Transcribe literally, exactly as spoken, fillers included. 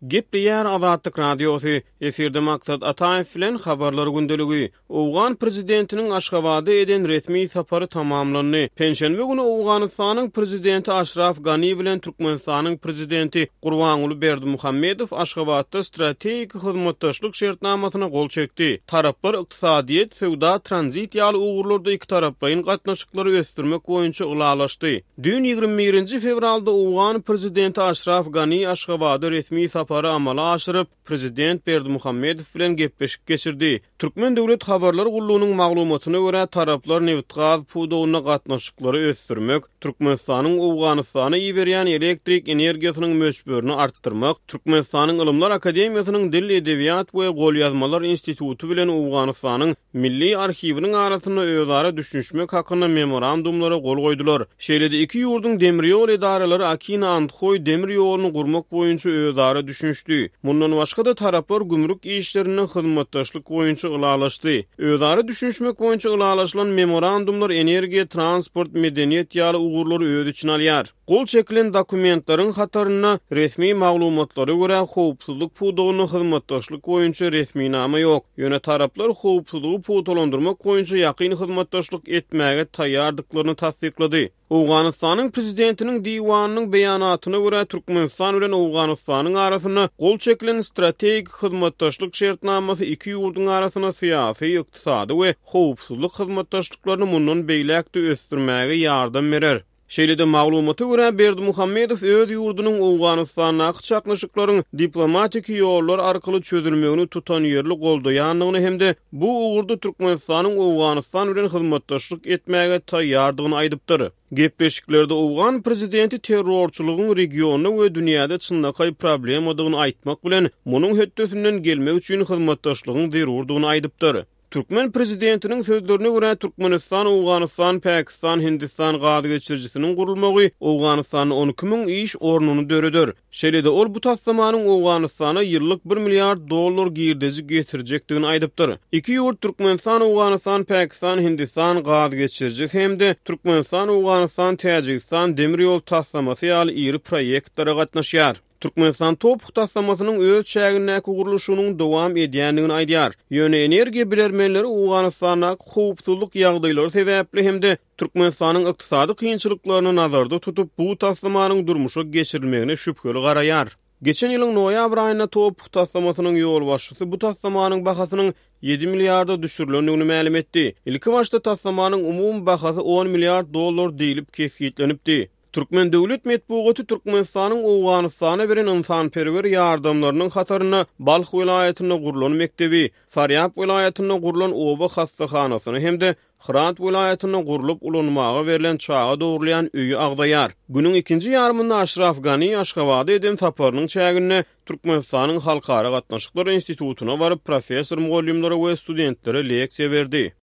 Gepleýär Azatlyk Radiosy, efirde Maksat Ataýew bilen Habarlar gündeligi. Owgan prezidentiniň Aşgabada eden resmi sapary tamamlandy. Penşenbe güni Owganystanyň prezidenti Aşraf Gani bilen Türkmenistanyň prezidenti Gurbanguly Berdimuhamedow Aşgabatda strategik hyzmatdaşlyk şertnamasyna gol çekdi. Taraplar ykdysadyýet, söwda, tranzit ýaly ugurlarda ikitaraplaýyn gatnaşyklary ösdürmek boýunça ylalaşdy. Düýn ýigrimi birinji fewralda owgan prezidenti Aşraf Gani Aşgabada resmi sapary amala aşyryp, prezident Berdimuhamedow bilen gepleşik geçirdi. Türkmen döwlet habarlar gullugynyň maglumatyna görä, taraplar nebitgaz pudagynda gatnaşyklary ösdürmek, Türkmenistanyň Owganystana iberýän elektrik energiýasynyň möçberini artdyrmak, Türkmenistanyň Ylymlar akademiýasynyň Dil, edebiýat we golýazmalar instituty bilen Owganystanyň Milli arhiwiniň arasynda özara düşünişmek hakynda memorandumlara gol goýdular. Şeýle-de iki ýurduň demir ýol edaralary Akina-Andhoý demir ýoluny gurmak boýunça özara düşünişdi. Mundan başga-da taraplar gümrük işlerinde hyzmatdaşlyk boýunça ylalaşdy. Özara düşünişmek boýunça ylalaşylan memorandumlar energiýa, transport, medeniýet ýaly ugurlary öz içine alýar. Gol çekilen dokumentleriň hatarynda resmi maglumatlara görä howpsuzlyk pudagynda hyzmatdaşlyk boýunça resminama ýok. Ýöne taraplar howpsuzlygy pugtalandyrmak boýunça ýakyn hyzmatdaşlyk etmäge taýýardyklaryny tassyklady. Owganystanyň prezidentiniň diwanynyň beýanatyna görä Türkmenistan bilen Owganystanyň arasynda gol çekilen strategik hyzmatdaşlyk şertnamasy iki ýurduň arasynda syýasy, ykdysady we howpsuzlyk hyzmatdaşlyklaryny mundan beýläk-de ösdürmäge ýardam berer. Şeýle-de maglumata görä Berdimuhamedow öz ýurdunyň Owganystandaky çaknyşyklaryň diplomatiki ýollar arkaly çözülmegini tutanýerli goldaýandygyny hem-de bu ugurda Türkmenistanyň Owganystan bilen hyzmatdaşlyk etmäge taýýardygyny aýdypdyr. Gepleşiklerde owgan prezidenti terrorçylygyň regionda we dünýäde çynlakaý problemadygyny aýtmak bilen, munuň hötdesinden gelmek üçin hyzmatdaşlygyň zerurdygyny aýdypdyr. Türkmen prezidentiniň sözlerine görä Türkmenistan, Owganystan, Pakistan, Hindistan gaz geçirijisiniň gurulmagy Owganystanda on iki müň iş ornuny döreder. Şeýle-de ol bu taslamanyň Owganystana ýyllyk bir milliard dollar girdeji getirjekdigini aýdypdyr. Iki ýurt Türkmenistan, Owganystan, Pakistan, Hindistan gaz geçirijisi hem-de Türkmenistan, Owganystan, Täjigistan demir ýol taslamasy ýaly iri proýektlere gatnaşýar. Türkmenistan TOPH taslamasynyň öz çägindäki gurluşygynyň dowam edýändigini aýdýar. Ýöne energiýa bilermenleri Owganystandaky howpsuzlyk ýagdaýlary sebäpli hem-de Türkmenistanyň ykdysady kynçylyklaryny nazarda tutup, bu taslamanyň durmuşa geçirilmegine şübheli garaýar. Geçen ýylyň noýabr aýynda TOPH taslamasynyň ýolbaşçysy bu taslamanyň bahasynyň ýedi milliarda düşürilendigini mälim etdi. Ilki başda taslamanyň umumy bahasy on milliard dollar diýlip kesgitlenipdi. Türkmen döwlet metbugaty Türkmenistanyň Owganystana beren ynsanperwer ýardamlarynyň hatarynda Balh welaýatynda gurlan mekdebi, Farýab welaýatynda gurlan oba hassahanasyny hem-de Hyrat welaýatynda gurlup ulanmaga berlen çaga dogrulýan öýi agzaýar. Günüň ikinji ýarymynda Aşraf Gani Aşgabada eden saparynyň çäginde Türkmenistanyň Halkara gatnaşyklar institutyna baryp professor mugallymlara we studentlere leksiýa berdi.